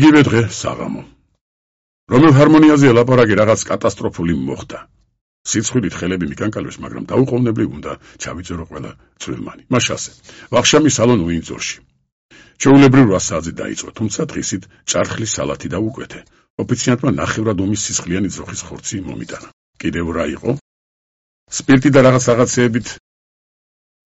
იგივე დღე საღამო. რომელ ჰარმონიაზე ელაპარაკი რაღაც კატასტროფული მოხდა. სიცხვილით ხელები მიკანკალებს, მაგრამ დაუყოვნებლივ უნდა ჩავიწერო ყველა წვრილმანი. მას ასე. ვახშამი სალონ უინძორში. ჩვეულებრივ 8 საათზე დაიწყო, თუმცა დღისით ჭარხლის სალათი დაუკვეთე. ოფიციანტმა ნახევრად ომის სისხლიანი ძროხის ხორცი მომიტანა. კიდევ რა იყო? სპირტი და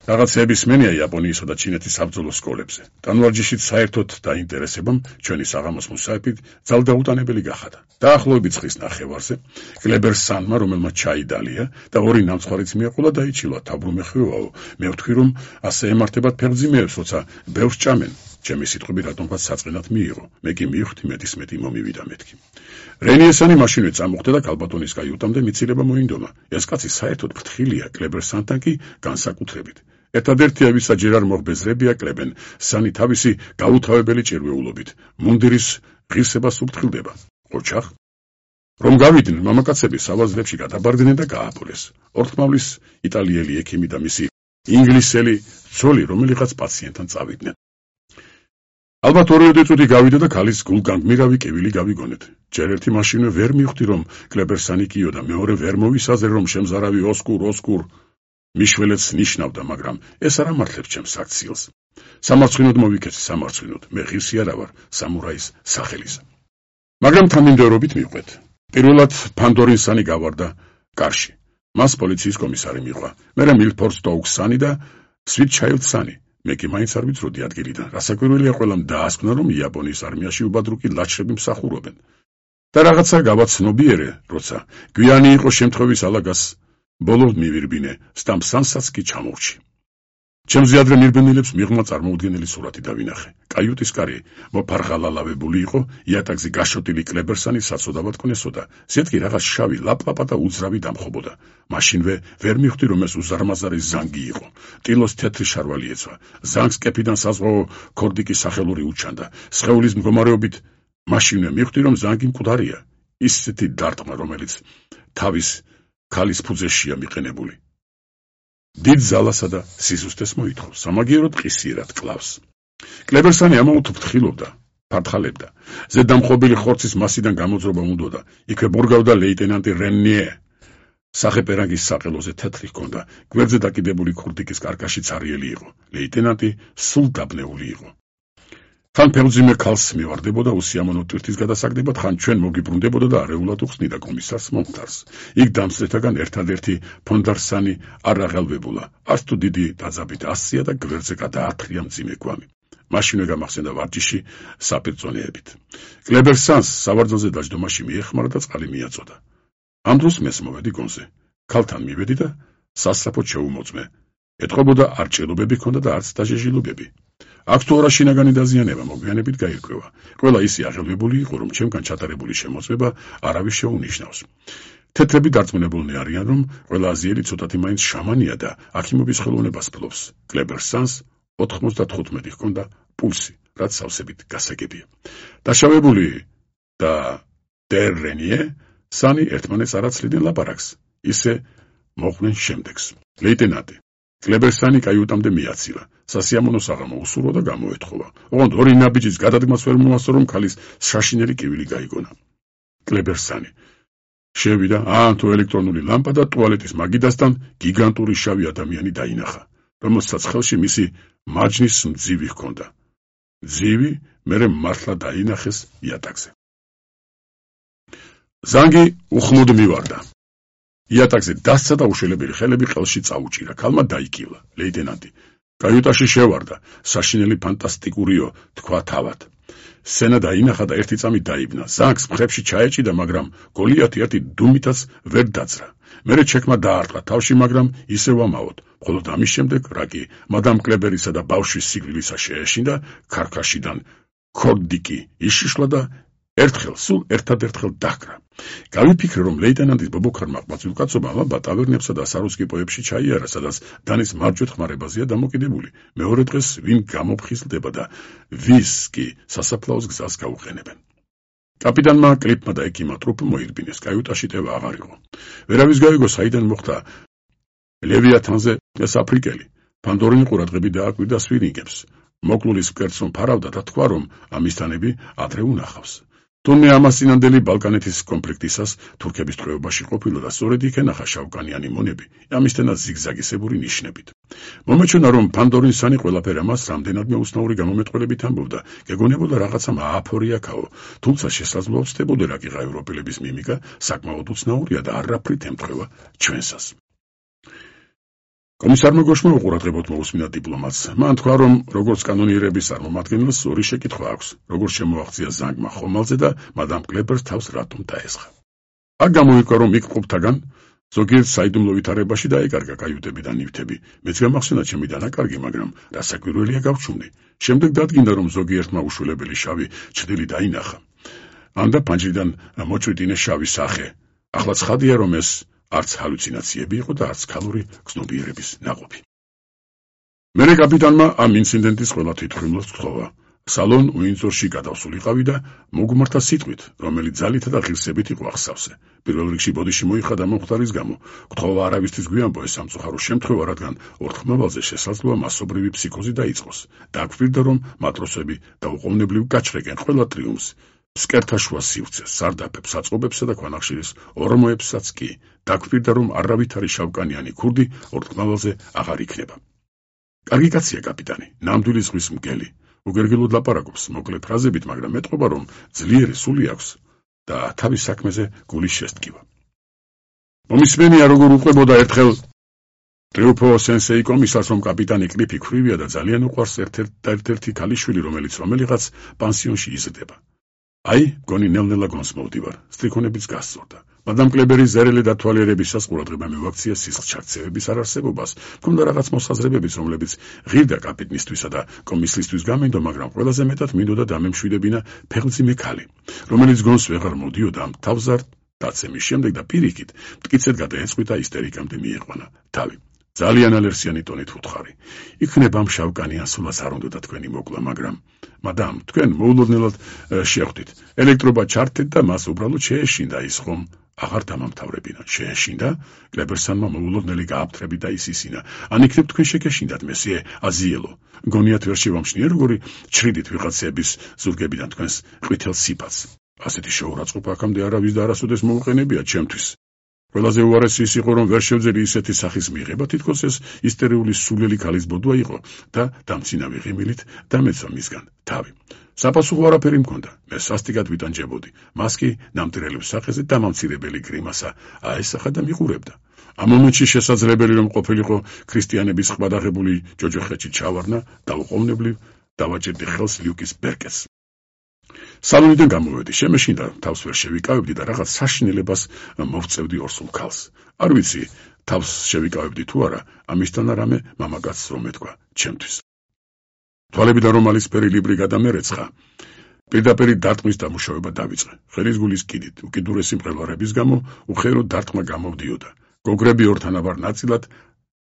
რაღაცეების მენია იაპონიისა და ჩინეთის საბრძოლო სკოლებზე. ტანვარჯიშით საერთოდ დაინტერესებამ ჩვენი საღამოს მუსაიფით ძალდაუტანებელი გახადა. დაახლოებით ხის ნახევარზე კლებერ სანმა, რომელმაც ჩაი დალია და 2 ნამცხვარიც მიაყოლა, დაიჩილა თაბრუმეხვეაო. მე ვთქვი, რომ ასე ემართებათ ფეხმძიმეებს, როცა ბევრს ჭამენ. ჩემი სიტყვები რატომღაც საწყენად მიიღო. მე კი მივხვდი მეტი მომივიდა მეთქი. რენიესანი მაშინვე წამოხდა და კალბატონის კაიუტამდე მიცილება მოინდომა. ეს კაცი საერთოდ ფრთხილია, კლებერ სანთან კი განსაკუთრებით. ერთადერთია, ვისაც ჯერ არ მოღბეზრებია კლებენ, სანი თავისი გაუთავებელი ჭირვეულობით მუნდირის ღირსებას უფრთხილდება. ოჩახ რომ გავიდნენ, მამაკაცები სავაზლებში გადაბარდნენ და გააპოლეს. ორთმავლის იტალიელი ექიმი და მისი ინგლისელი ცოლი, რომელიღაც პაციენტთან წავიდნენ. ალბათ 2 წუთი გავიდა და ქალის გულგანგმირავი კივილი გავიგონეთ. ჯერ ერთი მაშინვე ვერ მივხვდი, რომ კლებერსანი კიო და მეორე ვერ მოვისაზრე, რომ შემზარავი ოსკურ მიშველეც ნიშნავდა, მაგრამ ეს არ ამართლებს ჩემს აქციელს. სამარცხვინოდ მოვიქეცი, სამარცხვინოდ, მე ღირსი არა ვარ სამურაის სახელისა. მაგრამ თანმიმდევრობით მივყვეთ. პირველად ფანდორინსანი გავარდა კარში. მას პოლიციის კომისარი მიყვა. მერე მილფორდ სტოუქსანი და სვიტჩაილდსანი. მე კი მაინც არ ვიცროდი ადგილიდან. რასაკვირველია, ყველამ დაასკვნა, რომ იაპონიის არმიაში უბადრუკი ლაჩრები მსახურობენ. და რაღაცა გავაცნობიერე, როცა გვიანი იყო შემთხვევის ალაგას ბოლო მივირბინე, სტამპსანსაც კი ჩამოვრჩი. ჩემზე ადრე მირბენილებს მიღმა წარმოუდგენელი სურათი დავინახე. კაიუტის კარი მოფარღალალავებული იყო, იატაკზე გაშოტილი კლებერსანი საცოდავად კვნესოდა. ზეთკი რაღაც შავი ლაპლაპა და უძრავი დამხობოდა. მაშინვე ვერ მივხვდი, რომ ეს უზარმაზარი ზანგი იყო. ტილოს თეთრი შარვალი ეცვა. ზანგს კეფიდან საზღვაო ქორდიკის სახელური უჩანდა. სხეულის მდგომარეობით მაშინვე მივხვდი, რომ ზანგი მკვდარია. ისეთი დარტყმა, რომელიც თავის ქალის ფუძეშია მიყენებული. დიდ ზალასა და სიზუსტეს მოითხოვს, სამაგიეროდ ყისიერად კლავს. კლებერსანი ამაოდ ფრთხილობდა, ფართხალებდა. ზედამხობილი ხორცის მასიდან გამოძრობა უნდოდა. იქვე ბურგავდა ლეიტენანტი რენიე. სახეპერანგის საყელოზე თეთრი ჰქონდა, გვერდზე დაკიდებული ქურდიკის კარკაში ცარიელი იყო. ლეიტენანტი სულ დაბნეული იყო. ხან ფეხმძიმე ქალს მივარდებოდა უსიამოვნო ტვირთის გადასაგდებად, ხან ჩვენ მოგიბრუნდებოდა და არეულად უხსნიდა კომისარს მომხდარს. იქ დამსწრეთაგან ერთადერთი ფონდარსანი არ აღელვებულა. არც თუ დიდი დაძაბით ასწია და გვერდზე გადაათრია მძიმე გვამი. მაშინვე გამახსენდა ვარჯიში საპირწონეებით. კლებერსანს სავარძელზე დაჯდომაში მიეხმარა და წყალი მიაწოდა. ამ დროს მეს მოვედი გონზე. ქალთან მივედი და სასწრაფოდ შეუმოწმე. ეთყობოდა არ ჭრილობები ჰქონდა და არც დაჟეჟილობები. აქ თუ არა შინაგანი დაზიანება მოგვიანებით გაირკვევა. ყველა ისე აღელვებული იყო, რომ ჩემგან ჩატარებული შემოწმება არავის შეუნიშნავს. თეთრები დარწმუნებულნი არიან, რომ ყველა აზიელი ცოტათი მაინც შამანია და აქიმობის ხელოვნებას ფლობს. კლებერსანს 95 ჰქონდა პულსი, რაც სავსებით გასაგებია. დაშავებული და დერ რენიე სანი ერთმანეთს არ აცლიდნენ ლაპარაკს. ისე მოხვდნენ შემდეგს. ლეიტენანტი კლებერსანი კაიუტამდე მიაცილა. სასიამოვნო საღამო უსურვო და გამოეთხოვა. ოღონდ 2 ნაბიჯის გადადგმას ვერ მოასწრო, რომ ქალის შაშინელი კივილი გაიგონა. კლებერსანი შევიდა, თუ ელექტრონული ლამპა და ტუალეტის მაგიდასთან გიგანტური შავი ადამიანი დაინახა, რომელსაც ხელში მისი მარჯნის მძივი ჰქონდა. მძივი მერე მართლა დაინახეს იატაკზე. ზანგი უხმოდ მივარდა. იატაკზე დასცა და უშველებელი ხელები ყელში წაუჭირა. ქალმა დაიკილა. ლეიტენანტი კაიუტაში შევარდა. საშინელი ფანტასტიკურიო, თქვა თავად. სცენა დაინახა და ერთი წამი დაიბნა. ზანგს მხრებში ჩაეჭიდა, მაგრამ გოლიათი ერთი დუმითაც ვერ დაძრა. მერე ჩექმა დაარტყა თავში, მაგრამ ისევ ამაოდ. მხოლოდ ამის შემდეგ რაკი მადამ კლებერისა და ბავშვის სიკვდილისა შეეშინდა, ქარქაშიდან ქორდიკი იშიშლა და სულ ერთადერთხელ დაჰკრა. გავიფიქრე, რომ ლეიტენანტის ბობოქარმა ყმაწვილკაცობა ალბათ ტავერნებსა და სარუსკი-პოებში ჩაიარა, სადაც დანის მარჯვეთ ხმარებაზეა დამოკიდებული. მეორე დღეს ვინ გამოფხიზლდება და ვის კი სასაფლაოს გზას გაუყენებენ. კაპიტანმა კლიპმა და ექიმმა ტრუპ მოირბინეს. კაიუტაში ტევა აღარ იყო. ვერავის გაიგო, საიდან მოხდა ლევიათანზე ეს აფრიკელი. ფანდორინი ყურადღები დააკვირდა სვირინგებს. მოკლულის მკერდს რომ ფარავდა და თქვა, რომ ამისთანები ადრე უნახავს. თუმცა ამას წინანდელი ბალკანეთის კონფლიქტისას თურქების ტყვეობაში ყოფილა და სწორედ იქ ენახა შავკანიანი მონები, ამისთანაც ზიგზაგისებური ნიშნებით. მომეჩვენა, რომ ფანდორინსანი ყველაფერ ამას რამდენადმე უცნაური გამომეტყველებით ამბობდა, გეგონებოდა რაღაცა ააფორიაქაო, თუმცა შესაძლოა ვწდებოდა რა კიღა ევროპელების მიმიკა საკმაოდ უცნაურია და არაფრით ემთხვევა ჩვენსას. კომისარმა გოშმა უყურადღებოდ მოусმინა დიპლომატს. მან თქვა, რომ როგორც კანონიერების წარმომადგენელს ორი შეკითხვა აქვს, როგორც შემოაღწია ზანგმა ხომალზე და მადამ კლებერს თავს რატომ დაესხა. აქ გამოიკვა, რომ იქ მყოფთაგან ზოგიერთ საიდუმლო ვითარებაში დაეკარგა კაიუტები და ნივთები. მეც გამახსენა ჩემი დანაკარგი, მაგრამ რასაკვირველია გავჩუმდი. შემდეგ დადგინდა, რომ ზოგიერთმა უშვილებელი შავი ჩრდილი დაინახა. ანდა პანჯრიდან მოჭვიდინე შავი სახე. ახლა ცხადია, რომ ეს არც ჰალუცინაციები იყო და არც ქალური გრძნობიერების ნაყოფი. მერე კაპიტანმა ამ ინციდენტის ყველა თვითმხილველს გთხოვა. სალონ უინძორში გადავსულიყავი და მოგმართა სიტყვით, რომელიც ძალითა და ღირსებით იყო ახსავსე. პირველ რიგში ბოდიში მოიხადა მომხდარის გამო. გთხოვა არავისთვის გვიანბო ეს სამწუხარო შემთხვევა, რადგან ორთქმავალზე შესაძლოა მასობრივი ფსიქოზი დაიწყოს. დაგვირდა, რომ მატროსები დაუყოვნებლივ გაჩრეკენ ყველა ტრიუმფს. სკერტაშუა სივრცეს, სარდაფებს, საწყობებსა და ქვანახშირის ორმოებსაც კი. დაგვირდა, რომ არავითარი შავკანიანი ქურდი ორთქმავალზე აღარ იქნება. კარგი კაცია კაპიტანი, ნამდვილი ზღვის მგელი. უგერგელოდ ლაპარაკობს, მოკლე ფრაზებით, მაგრამ მეტყობა, რომ ძლიერი სული აქვს და თავის საქმეზე გულის შესტკივა. მომისმენია, როგორ უყვებოდა ერთხელ ტრიუფო სენსეი კომისარს, რომ კაპიტანი კლიფი ქვრივია და ძალიან უყვარს ერთ-ერთი ქალიშვილი, რომელიც რომელიღაც პანსიონში იზრდება. აი, გონი ნელ-ნელა გონს მოვდივარ, სტრიქონებიც გასწორდა. მადამ კლებერის ზერელი დათვალიერებისას ყურადღება მივაქცია სისხლჩაქცევების არარსებობას, მქონდა რაღაც მოსაზრებებიც, რომლებიც ღირდა კაპიტნისთვისა და კომისლისთვის გამენდო, მაგრამ ყველაზე მეტად მინდოდა დამემშვიდებინა ფეხმძიმე ქალი, რომელიც გონს ვეღარ მოდიოდა ამ თავზარ დაცემის შემდეგ და პირიქით მტკიცედ გადაეწყვიტა ისტერიკამდე მიიყვანა თავი. ძალიან ალერსიანი ტონით უთხარი. იქნება ამ შავკანიან სულას არ უნდა თქვენი მოკლა, მაგრამ მადამ, თქვენ მოულოდნელად შეხვდით. ელექტრობა ჩართეთ და მას უბრალოდ შეეშინდა ის ხომ აღარ დამამთავრებინა. შეეშინდა? კლებერსანმა მოულოდნელი გააფთრები და ისისინა. ან იქნებ თქვენ შეგეშინდათ მესიე აზიელო. გონიათ ვერ შევამჩნიე როგორი ჩრიდით ვიღაცების ზურგებიდან თქვენს ყვითელ სიფათს. ასეთი შეურაცხყოფა აქამდე არავის და არასოდეს მოუყენებია ჩემთვის. ყველაზე უარესი ის იყო, რომ ვერ შევძელი ისეთი სახის მიღება, თითქოს ეს ისტერიული სულელი ქალის ბოდვა იყო და დამცინავი ღიმილით დამეცა მისგან თავი. საპასუხო არაფერი მქონდა. მე სასტიკად ვიტანჯებოდი. მას კი ნამდვილების სახეზე დამამცირებელი გრიმასა აესახა და მიყურებდა. ამ მომენტში შესაძლებელი რომ ყოფილიყო ქრისტიანების ყბადაღებული ჯოჯოხეთში ჩავარნა და უყოვნებლივ დავაჭერდი ხელს ლიუკის ბერკეტს. სალონიდან გამოვედი, შემეშინდა, თავს ვერ შევიკავებდი და რაღაც საშინელებას მოვწევდი ორსულ ქალს. არ ვიცი, თავს შევიკავებდი თუ არა, ამისთან არამე მამაკაცს რომ ეთქვა ჩემთვის. თვალებიდან რომალისფერი ლიბრი გადამერეცხა. პირდაპირ დარტყმის დამუშავება დავიწყე. ხელის გულის კიდით, უკიდურესი მყელვარების გამო უხერო დარტყმა გამოვდიოდა. გოგრები ორთანაბარ ნაწილად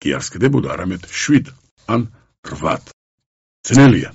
კი არ სკდებოდა, არამედ 7 ან 8. ძნელია.